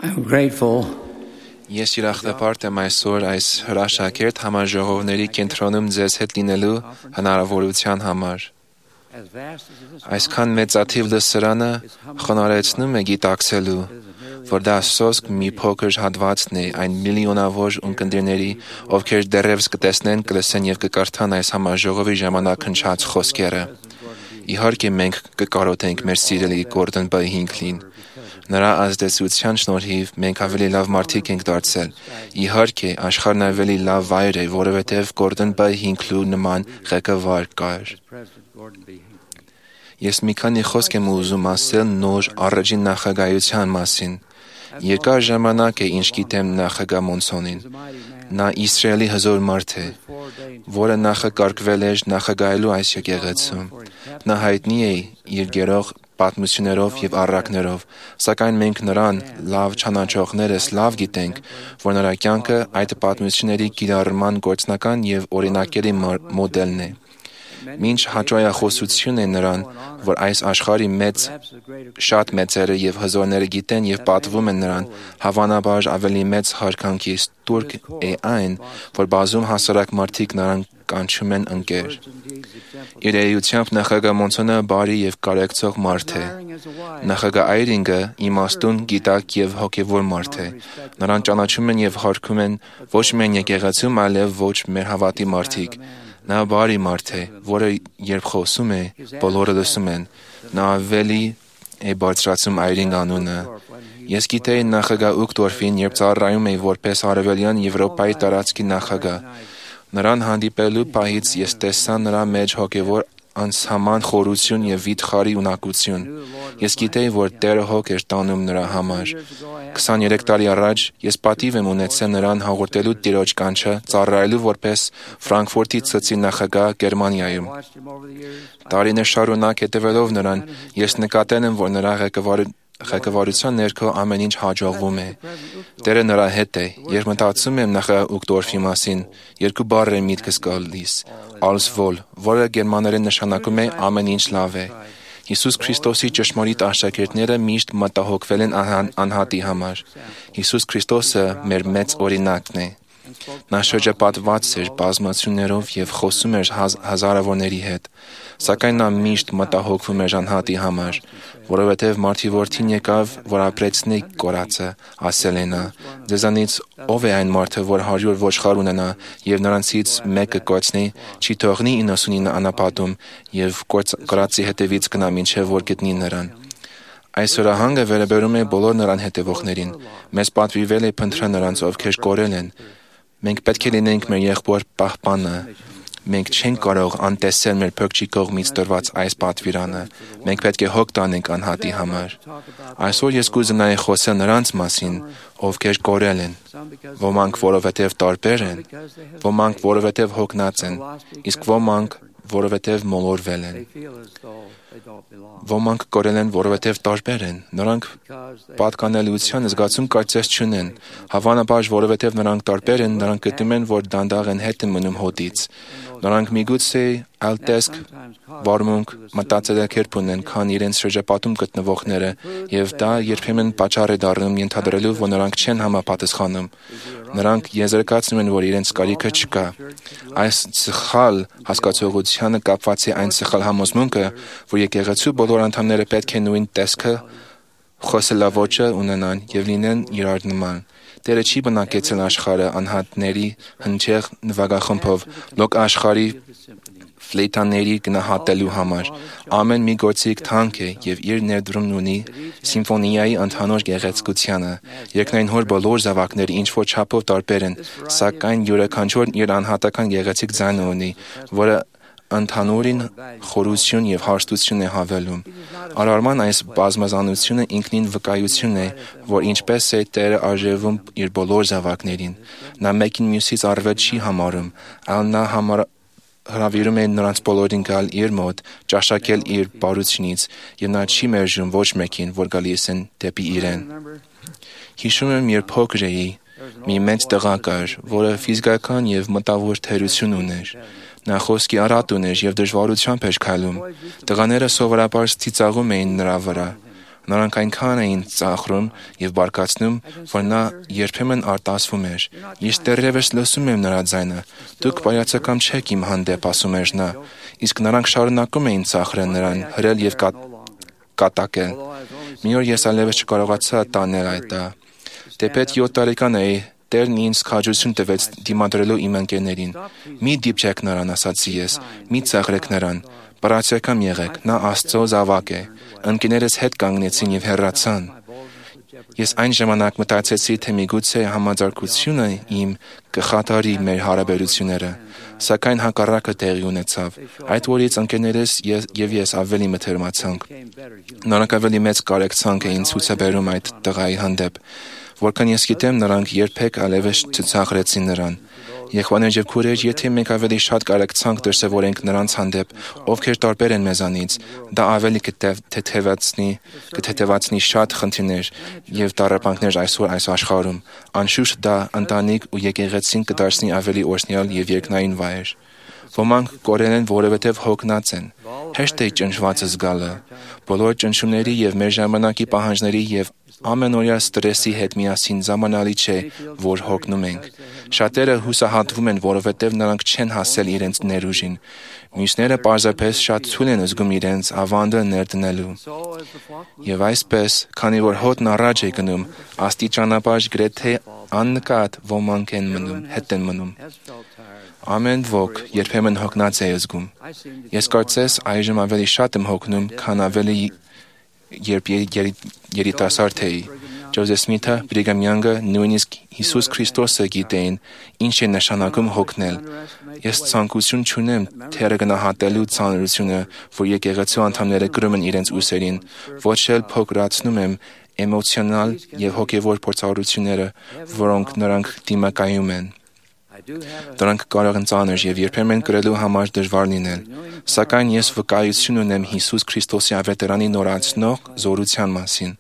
I'm grateful Ես ուրախապարտ եմ այսօր այս հրաշագերտ համաժողովների կենտրոնում ձեզ հետ լինելու հնարավորության համար։ Այսքան մեծաթիվ լսարանը խոնարհեցնում է գիտակցելու, որ դա սոսկ մի փոքր հատվածն է այն միլիոնավոր ունկնդիրների, ովքեր դեռևս կտեսնեն, կլսեն եւ կկարդան այս համաժողովի ժամանակ հնչած խոսքերը։ Իհարկե մենք կկարոտենք մեր սիրելի Գորդոն B. Հինքլին։ Նրա ազդեցության շնորհիվ մենք ավելի լավ մարդիկ ենք դարձել։ Իհարկե, աշխարհն ավելի լավ վայր է, որովհետև Գորդոն B. Հինքլու նման ղեկավար կար։ Ես մի քանի խոսք եմ ուզում ասել նոր առաջին նախագահության մասին։ Երկար ժամանակ է ինչ գիտեմ նախագահ Մոնսոնին։ Նա Իսրայելի հզոր մարդ է, որը նախակարգվել էր նախագահելու այս եկեղեցում։ Նա հայտնի է իր գերող պատմություններով եւ առակներով, սակայն մենք նրան լավ ճանաչողներս լավ գիտենք, որ նրա կյանքը այդ պատմությունների կիրառման գործնական եւ օրինակելի մոդելն է։ Մինչ հաճոյախոսություն է նրան, որ այս աշխարհի շատ մեծերը եւ հզորները գիտեն եւ պատվում են նրան, հավանաբար ավելի մեծ հարկանքի ստուրկ է այն, որ բազում հասարակ մարդիկ նրան կանչում են ընկեր։ Իր էությամբ նախագահ Մոնսոնը բարի եւ կարեկցող մարդ է։ Նախագահ Այրինգը իմաստուն, գիտակ եւ հոգեվոր մարդ է։ Նրան ճանաչում են եւ հարգում են ոչ միայն եկեղեցում, այլև ոչ մեր հավատի մարդիկ։ Նա բարի մարդ է, որը երբ խոսում է, բոլորը լսում են։ Նա ավելի է բարձրացում Այրինգ անունը։ Ես գիտեի նախագահ Ուկտորֆին, երբ ծառայում էի որպես Արևելյան Եվրոպայի տարածքի նախագահ։ Նրան հանդիպելու պահից ես տեսա նրա մեջ հոգևոր անսահման խորություն եւ վիթխարի ունակություն։ Ես գիտեի, որ Տերը հոգ էր տանում նրա համար։ 23 տարի առաջ ես պատիվ եմ ունեցել նրան հաղորդելու Տիրոջ կանչը, ծառայելու որպես Ֆրանկֆուրտի ցցի նախագահ Գերմանիայում։ Տարիներ շարունակ հետևելով նրան, ես նկատել եմ, որ նրա ղեկավարության ներքո ամեն ինչ հաջողվում է։ Տերը նրա հետ է։ Երբ մտածում եմ նախագահ Ուկտորֆի մասին, երկու բառ է միտքս գալիս՝ alles wohl, որը գերմաներեն նշանակում է ամեն ինչ լավ է։ Հիսուս Քրիստոսի ճշմարիտ աշակերտները միշտ մտահոգվել են անհատի համար։ Հիսուս Քրիստոսը մեր մեծ օրինակն է։ Նա շրջապատված էր բազմացումներով եւ խոսում էր հազարավորների հետ, սակայն նա միշտ մտահոգվում էր անհատի համար, որովհետեւ մարդի որդին եկավ, որ ապրեցնի կորածը, ասել է նա։ Ձեզանից ով է այն մարդը, որ 100 ոչխար ունենա եւ նրանցից մեկը կորցնի, չի թողնի 99 անապատում եւ կորածի հետևից գնա մինչեւ որ գտնի նրան։ Այս հրահանգը վերաբերում է բոլոր նրան հետևողներին։ Մեզ պատվիրվել է փնտրել նրանց, ովքեր կորել են։ Մենք պետք է լինենք մեր եղբոր պահպանը։ Մենք չենք կարող անտեսել մեր փրկչի կողմից տրված այս պատվիրանը։ Մենք պետք է հոգ տանենք անհատի համար։ Այսօր ես կուզենայի խոսել նրանց մասին, ովքեր կորել են։ Ոմանք, որովհետև տարբեր են, ոմանք, որովհետև հոգնած են, իսկ ոմանք, որովհետև մոլորվել են։ Ոմանք կորել են, որովհետև տարբեր են։ Նրանք պատկանելիության զգացում կարծես չունեն։ Հավանաբար, որովհետև նրանք տարբեր են, նրանք գտնում են, որ դանդաղ են հետ մնում հոտից։ Նրանք միգուցե այլ տեսք, վարմունք, մտածելակերպ ունեն, քան իրենց շրջապատում գտնվողները, եւ դա երբեմն պատճառ է դառնում ենթադրելու, որ նրանք չեն համապատասխանում։ Նրանք եզրակացնում են, որ իրենց կարիքը չկա։ Այս սխալ հասկացողությանը կապված է այն սխալ համոզմունքը, որ եկեղեցու բոլոր անդամները պետք է նույն տեսքը, խոսելաոճը ունենան եւ լինեն իրար նման։ Տերը չի բնակեցել աշխարհը անհատների հնչեղ նվագախմբով, լոկ աշխարհի ֆլեյտաների գնահատելու համար։ Ամեն մի գործիք թանկ է եւ իր ներդրումն ունի սիմֆոնիայի ընդհանուր գեղեցկությանը։ Երկնային հոր բոլոր զավակները ինչ որ չափով տարբեր են, սակայն յուրաքանչյուրն իր անհատական գեղեցիկ ձայնը ունի, որը ընդհանուրին խորություն եւ հարստություն է հավելում։ Արարման այս բազմազանությունը ինքնին վկայություն է, որ ինչպես է Տերը արժևում իր բոլոր զավակներին։ Նա մեկին մյուսից առավել չի համարում, այլ նա հրավիրում է նրանց բոլորին գալ իր մոտ, ճաշակել իր բարությունից, եւ նա չի մերժում ոչ մեկին, որ գալիս են դեպի իրեն։ Հիշում եմ, երբ փոքր էի, մի մեծ տղա կար, որը ֆիզիկական եւ մտավոր թերություն ուներ։ Նա խոսքի արատ ուներ եւ դժվարությամբ էր քայլում։ Տղաները սովորաբար ծիծաղում էին նրա վրա։ Նրանք այնքան էին ծաղրում եւ բարկացնում, որ նա երբեմն արտասվում էր։ Ես դեռևս լսում եմ նրա ձայնը։ Դուք բարյացակամ չեք իմ հանդեպ, ասում էր նա։ Իսկ նրանք շարունակում էին ծաղրել նրան, հրել եւ կատակել։ Մի օր ես այլևս չկարողացա տանել այդ։ Դեպետ 7 տարեկան էի, Տերն ինձ քաջություն տվեց դիմադրելու իմ ընկերներին։ Մի դիպչեք նրան, ասացի ես, մի ծաղրեք նրան, բարացիական եղեք, նա Աստծո զավակ է։ Ընկերներս հետ կանգնեցին եւ հեռացան։ Ես այն ժամանակ մտածեցի, թե միգուցե համաձարկությունը իմ կխաթարի մեր հարաբերությունները, սակայն հակառակը տեղի ունեցավ։ Այդ օրից ընկերներս եւ ես ավելի մթերմացանք։ Նրանք ավելի մեծ կարեկցանք էին ցուցաբերում այդ տղայի հանդեպ, որքան ես գիտեմ, նրանք երբեք այլևս չծաղրեցին նրան։ Եղբայրներ եւ քույրեր, եթե մենք ավելի շատ կարեկցանք դրսևորենք նրանց հանդեպ, ովքեր տարբեր են մեզանից, դա ավելի կթեթևացնի շատ խնդիրներ եւ տառապանքներ այսօր այս աշխարհում։ Անշուշտ դա ընտանիք ու եկեղեցին կդարձնի ավելի օրհնյալ եւ երկնային վայր։ Ոմանք կորել են, որովհետեւ հոգնած են։ Հեշտ է ճնշվածը զգալը։ Բոլոր ճնշումների եւ մեր ժամանակի պահանջների եւ ամենօրյա ստրեսի հետ միասին զամանալի չէ, որ հոգնում ենք։ Շատերը հուսահատվում են, որովհետև նրանք չեն հասել իրենց ներուժին։ Մյուսները պարզապես շատ թույլ են զգում իրենց ավանդը ներդնելու։ Եվ այսպես, քանի որ հոտն առաջ է գնում, աստիճանաբար գրեթե աննկատ ոմանք են մնում։ Ամեն ոք երբեմն հոգնած է զգում։ Ես կարծես այժմ ավելի շատ եմ հոգնում, քան ավելի երբ երիտասարդ էի։ Ջոզեֆ Սմիթը, Բրիգամ Յանգը, նույնիսկ Հիսուս Քրիստոսը գիտեին ինչ է նշանակում հոգնել։ Ես ցանկություն չունեմ թերը գնահատելու ցանրությունը, որ եկեղեցու անդամները կրում են իրենց ուսերին, ոչ էլ փոքրացնում եմ էմոցիոնալ եւ հոգեվոր փորձառությունները, որոնք նրանք դիմակայում են։ Դրանք կարող են ծանր եւ երբեմն կրելու համար դժվար լինել, սակայն ես վկայություն ունեմ Հիսուս Քրիստոսի ավետարանի նորացնող զորության մասին։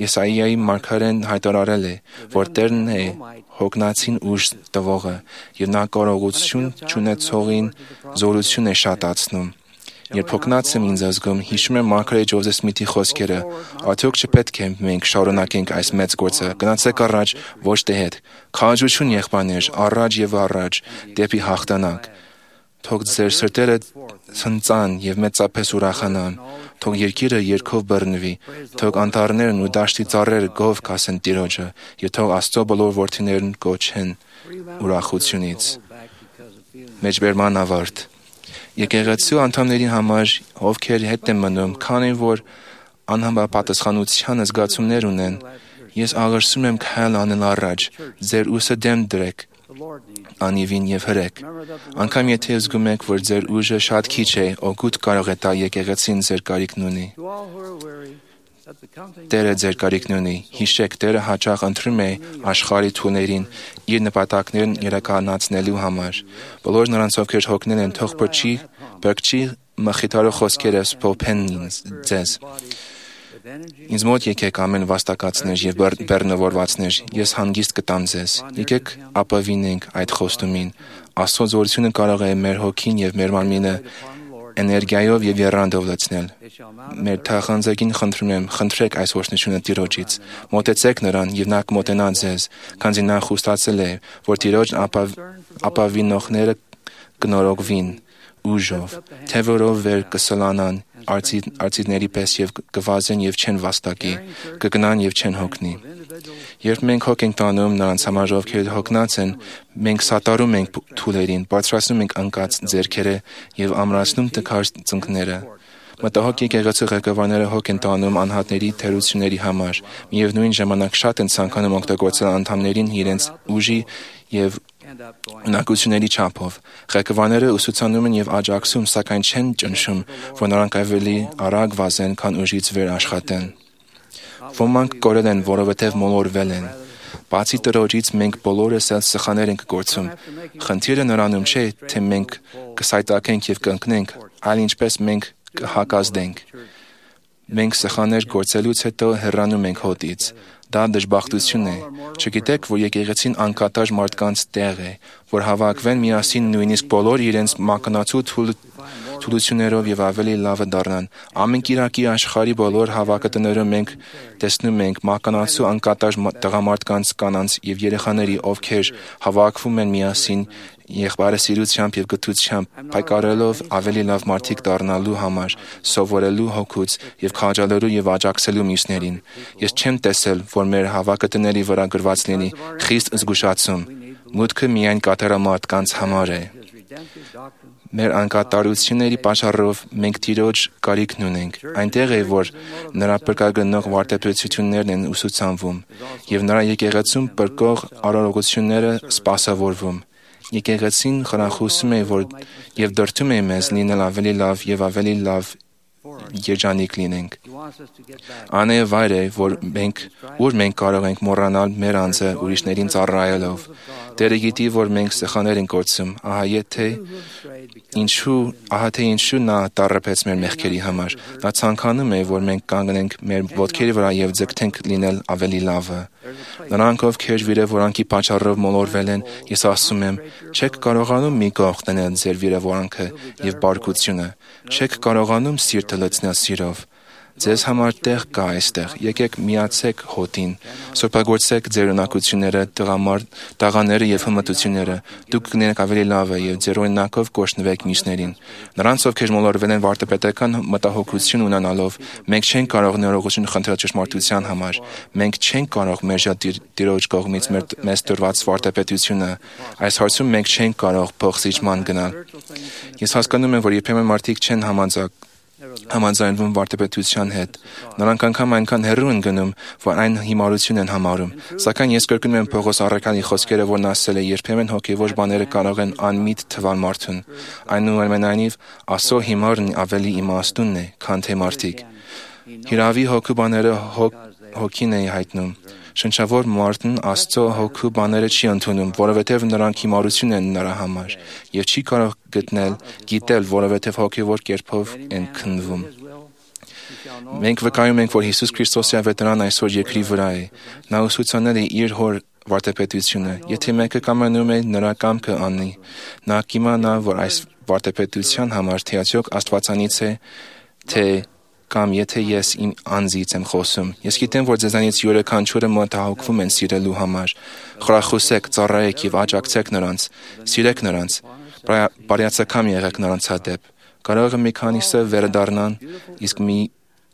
Եսայիայի մարգարեն հայտարարել է, որ Տերն է հոգնածին ուժ տվողը եւ նա կարողություն չունեցողին զորություն է շատացնում։ Երբ հոգնած եմ ինձ զգում, հիշում եմ մարգարե Ջոզեֆ Սմիթի խոսքերը. «Արդյոք չպետք է մենք շարունակենք այս մեծ գործը, գնացեք առաջ, ոչ թե հետ։ Քաջություն եղբայրներ, առաջ եւ առաջ, դեպի հաղթանակ։ Թող ձեր սրտերը ցնծան եւ մեծապես ուրախանան, թող երկիրը երգով բռնվի, թող անտառներն ու դաշտի ծառերը գով կասեն Տիրոջը, եւ թող Աստծո բոլոր որդիներն կոչեն ուրախությունից»։ Մեջբերման ավարտ։ Եկեղեցու անդամների համար, ովքեր հետ են մնում, քանի որ անհամապատասխանության զգացումներ ունեն, ես աղրսում եմ քայլ անել առաջ, ձեր ուսը դեմ դրեք, անիվին եւ հրեք։ Անկամ եթե զգում եք, որ ձեր ուժը շատ քիչ է, օգուտ կարող է տալ եկեղեցին ձեր կարիքն ունի։ Տերը ձեր կարիքն ունի։ Հիշեք, Տերը հաճախ ընտրում է աշխարհի թուներին իր նպատակներն իրականացնելու համար։ Բոլոր նրանց, ովքեր հոգնել են, թող բրկչի մխիթարող խոսքերը սփոփեն ձեզ։ Ինձ մոտ եկեք ամեն վաստակացներ եւ բեռնավորվածներ, ես հանգիստ կտամ ձեզ։ Եկեք ապավինենք այդ խոստումին։ Աստծո զորությունը կարող է մեր հոգին եւ մեր մարմինը էներգիայով եւ երանդով լցնել։ Մեր թախանձագին խնդրում եմ, խնդրեք այս օրհնությունը Տիրոջից։ Մոտեցեք նրան եւ նա կմոտենա ձեզ, քանզի նա խոստացել է, որ Տիրոջ ապավինողները կնորոգվին ուժով, թևորով վեր կսլանան արծիների պես եւ կվազեն եւ չեն վաստակի, կգնան եւ չեն հոգնի։ Երբ մենք հոգ ենք տանում նրանց համար, ովքեր հոգնած են, մենք սատարում ենք թուլերին, բարձրացնում ենք անկած ձեռքերը եւ ամրացնում տքար ծնկները։ Մտահոգ եկեղեցու ղեկավարները հոգ են տանում անհատների թերությունների համար, միևնույն ժամանակ շատ են ցանկանում օգտագործել անդամներին իրենց ուժի եւ ունակությունների չափով։ Ղեկավարները ուսուցանում են եւ աջակցում, սակայն չեն ճնշում, որ նրանք ավելի արագ վազեն, քան ուժից վեր աշխատեն։ Ոմանք կորել են, որովհետև մոլորվել են։ Բացի Տրոջից մենք բոլորս էլ սխալներ ենք գործում։ Խնդիրը նրանում չէ, թե մենք կսայթաքենք եւ կընկնենք, այլ ինչպես մենք կհակազդենք։ Մենք սխալներ գործելուց հետո հեռանում ենք հոտից։ Դա դժբախտություն է։ Չգիտեք, որ եկեղեցին անկատար մարդկանց տեղ է, որ հավաքվեն միասին նույնիսկ բոլոր իրենց մականացու թույլ թուլություններով եւ ավելի լավը դառնան։ Ամեն կիրակի աշխարհի բոլոր հավաքատներում մենք տեսնում ենք մականացու անկատար տղամարդկանց, կանանց եւ երեխաների, ովքեր հավաքվում են միասին եղբայրասիրությամբ եւ գթությամբ, պայքարելով ավելի լավ մարդիկ դառնալու համար, սովորելու հոգուց եւ քաջալերու եւ աջակցելու մյուսներին։ Ես չեմ տեսել, որ մեր հավաքատների վրա գրված լինի խիստ զգուշացում։ Մուտքը միայն կատարամարտկանց համար է։ Մեր անկատարությունների պատճառով մենք Տիրոջ կարիքն ունենք։ Այնտեղ է, որ նրա փրկագնող վարդապետություններն են ուսուցանվում եւ նրա եկեղեցում փրկող արարողությունները սպասավորվում։ Եկեղեցին խրախուսում է եւ դրդում է մեզ լինել ավելի լավ եւ ավելի լավ երջանիկ լինենք։ Անե վայր է, որ մենք կարող ենք մոռանալ մեր անձը ուրիշներին ծառայելով։ Տերը գիտի, որ մենք սխալներ ենք գործում, ահա թե ինչու նա տառապեց մեր մեղքերի համար։ Նա ցանկանում է, որ մենք կանգնենք մեր ոտքերի վրա եւ ձգտենք լինել ավելի լավը։ Նրանք, ովքեր վիրավորանքի պատճառով մոլորվել են, ես ասում եմ, չեք կարողանում մի կողմ դնել ձեր վիրավորանքը եւ բարկությունը, չեք կարողանում սիրտը լցնել սիրով։ Ձեզ համար տեղ կա այստեղ, եկեք միացեք հոտին, սրբագործեք ձեր ունակությունները, տաղաները եւ հմտությունները, դուք կլինեք ավելի լավը եւ ձեր օրինակով կօրհնվեք մյուսներին։ Նրանց, ովքեր մոլորվել են վարդապետական մտահոգություն ունենալով, մենք չենք կարող ներողություն խնդրել ճշմարտության համար, մենք չենք կարող մերժել Տիրոջ կողմից մեզ տրված վարդապետությունը, այս հարցում մենք չենք կարող փոխզիջման գնալ։ Ես հասկանում եմ, որ երբեմն մարդիկ չեն համաձայնվում վարդապետության հետ։ Նրանք անգամ այնքան հեռու են գնում, որ այն հիմարություն են համարում։ Սակայն ես կրկնում եմ Պողոս առաքյալի խոսքերը, որն ասել է. երբեմն հոգևոր բաները կարող են անմիտ թվալ մարդուն։ Այնուամենայնիվ, Աստծո հիմարն ավելի իմաստուն է, քան թե մարդիկ։ Հիրավի հոգու բաները հոգին է հայտնում։ Շնչավոր մարդն Աստծո հոգու բաները չի ընդունում, որովհետև նրանք հիմարություն են նրա համար, եւ չի կարող գիտել, որովհետև հոգևոր կերպով են քննվում։ Մենք վկայում ենք, որ Հիսուս Քրիստոսի ավետարան այսօր երկրի վրա է։ Նա ուսուցանել է իր հոր վարդապետությունը։ Եթե մեկը կամենում է նրա կամքը անի, նա կիմանա, որ այս վարդապետության համար թե արդյոք Աստվածանից է, թե կամ եթե ես իմ անձից եմ խոսում։ Ես գիտեմ, որ ձեզանից յուրաքանչյուրը մտահոգվում են սիրելու համար։ Խրախուսեք, ծառայեք եւ աջակցեք նրանց, սիրեք նրանց, բարյացակամ եղեք նրանց հանդեպ։ Կարող է մի քանիսը վերադառնան, իսկ մի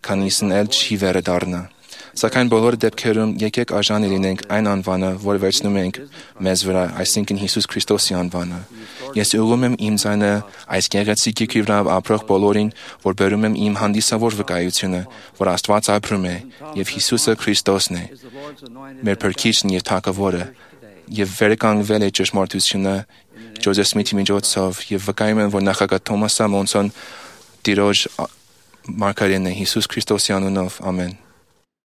քանիսն էլ չի վերադառնա։ Սակայն բոլոր դեպքերում եկեք արժանի լինենք այն անվանը, որ վերցնում ենք մեզ վրա, այսինքն Հիսուս Քրիստոսի անվանը։ Ես ուղղում եմ իմ ձայնը այս գեղեցիկ երկրի վրա ապրող բոլորին, որ բերում եմ իմ հանդիսավոր վկայությունը, որ Աստված ապրում է եւ Հիսուսը Քրիստոսն է, մեր Փրկիչն եւ Թագավորը, եւ վերականգնվել է ճշմարտությունը Ջոզեֆ Սմիթի միջոցով եւ վկայում եմ, որ նախագահ Թոմաս Մոնսոն Տիրոջ մարգարեն է Հիսուս Քրիստոսի անունով։ Ամեն։